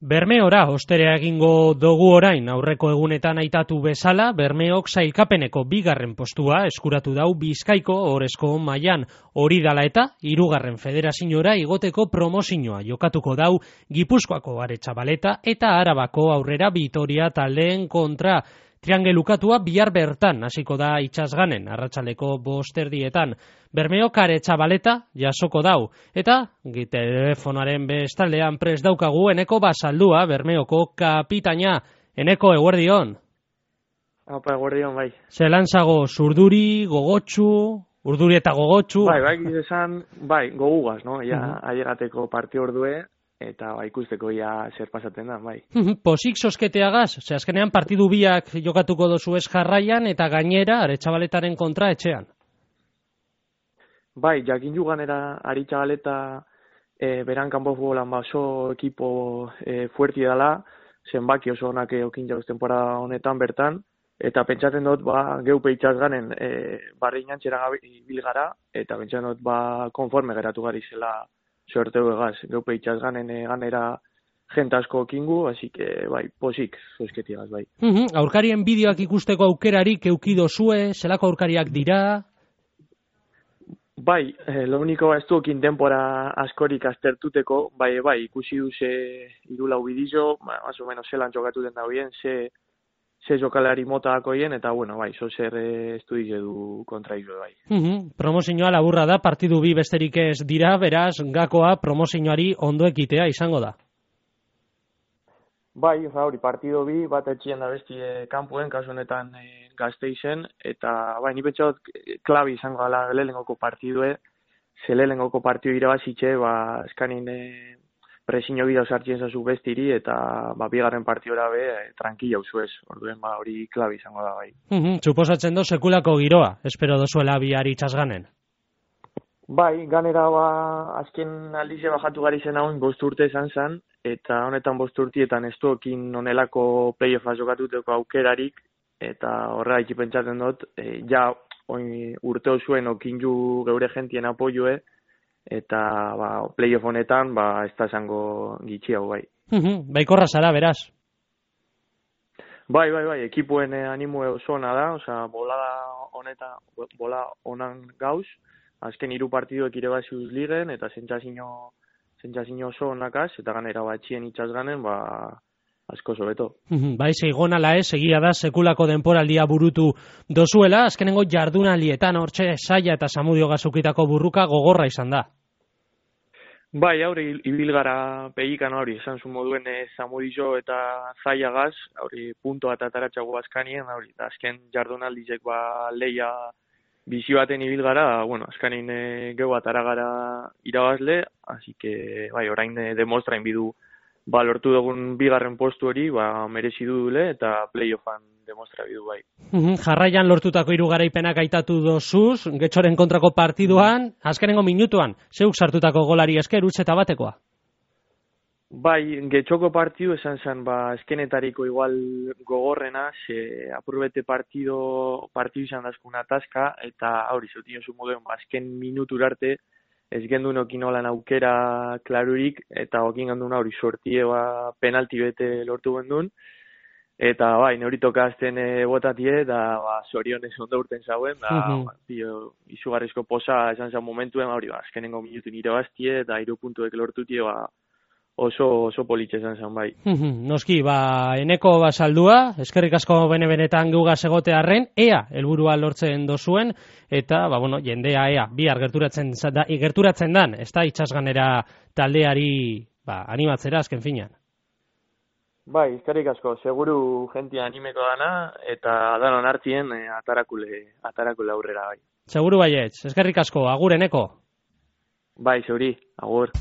Bermeora osterea egingo dugu orain, aurreko egunetan aitatu bezala, Bermeok sailkapeneko 2. postua eskuratu dau Bizkaiko Ohorezko mailan, hori dala eta 3. federaziora igoteko promozioa jokatuko dau Gipuzkoako Aretxabaleta eta Arabako Aurrera Bitoria taldeen kontra. Triangelukatua bihar bertan hasiko da itsasganen, arratsaldeko 5:00. Bermeok Aretxabaleta jasoko dau, eta telefonoaren bestaldean prest daukagu Eneko Basaldua, Bermeoko kapitaina. Eneko, eguerdion. Apa, eguerdion, bai. Zelantzago, zurduri, gogotsu, urduri eta gogotsu. Bai, esan, gogugaz, no? Ja, ailegateko partio ordue, eta ikusteko ja zer pasaten da, bai. Posik sosketeagaz, azkenean partidu biak jokatuko dozu ez jarraian, eta gainera Aretxabaletaren kontra etxean. Bai, jakin juganera Aretxabaleta beran kanpo futbolan oso ekipo fuerti dela, zenbaki oso onak okin jauz temporada honetan bertan, eta pentsatzen dut, geupe itxasganen barri inantxera bil gara, eta pentsatzen dut, konforme geratu gari zela sorteu egaz, geupe itxasganen ganera jente asko okingu, así que, posik, zoizketiagaz, bai. Aurkarien bideoak ikusteko aukerarik eukido zue, zelako aurkariak dira? Bai, lo único ez duekin denbora askorik aztertuteko, bai, ikusi duze irulau bidizo, más o menos zelan jokatu den da bien, ze jokalari mota dakoien, eta bueno, zo zer estudiz edu kontra izo, bai. Promozioa laburra da, partidu bi besterik ez dira, beraz, gakoa promozioari ondo ekitea izango da. Bai, hori, partido bi, bat etxien da besti kanpuen, kasu honetan Gasteizen, eta ni pentsat klabi izango gala lehenengoko partidue, ze lehenengoko partidu irabazitxe, eskanin presiño bidau sartzen zazu bestiri, eta bigarren partidora tranquila uzuez, orduen hori klabi izango da, bai. Suposatzen do sekulako giroa, espero dozuela bihar itsasganen. Bai, ganera azken aldize bajatu gari zen haun 5 urte izan zen, eta honetan 5 urtietan ez duekin onelako play-offa jokatuteko aukerarik, eta horra pentsatzen dut, urte osuen okinju geure jentien apoioe, eta play-off honetan ez da esango gitxiago, bai. Baikorra zara, beraz? Bai, ekipuen animue oso ona da, bola onan gauz, azken 3 partiduek irebaziuz ligen, eta zentzazino oso onakaz, eta ganera batxien itxasganen, asko sobeto. Bai, zeigonala egia da, sekulako denporaldia burutu dozuela, azkenengo jardunaldietan, hortxe Saia eta Samudio Gazukitako burruka gogorra izan da. Bai, ibil gara pegikan hori, esan zu moduen Samudio eta Saia gaz, punto eta ataratxago azkanien, azken jardunaldizek leia bizi baten ibil gara, azkanin geu atara gara irabazle, así que, orain demostrain bidu, lortu dugun 2. postu hori, merezi dudule, eta play-offan demostra bidu, bai. Jarraian lortutako 3 garaipenak aitatu dozuz, Getxoren kontrako partiduan, azkenengo minutuan, zeuk sartutako golari esker, utz eta batekoa? Bai, Getxoko partidu esan zen, eskenetariko igual gogorrena, ze apurbete partidu izan dazkun atazka, eta hori zeutin oso moduen, azken minutur arte, ez gendun okin olan aukera klarurik, eta okin gendun hori sortie penalti bete lortu gendun, eta neuri tokazten botatie, da zorionez ondo urten zauen, izugarrizko posa esan zen momentuen, azkenengo minutu nire bastie, eta 3 puntuek lortutie, oso politxe esan zen, bai. Noski, Eneko Basaldua, eskerrik asko benetan gugaz egotearren, helburua lortzen dozuen, eta, jendea, bihar gerturatzen dan, ez da itsasganera taldeari animatzera azken finean. Bai, eskerrik asko, seguru jentia animeko dana, eta danon hartien atarakule aurrera, bai. Seguru baietz, eskerrik asko, agur Eneko. Bai, zeuri, agur.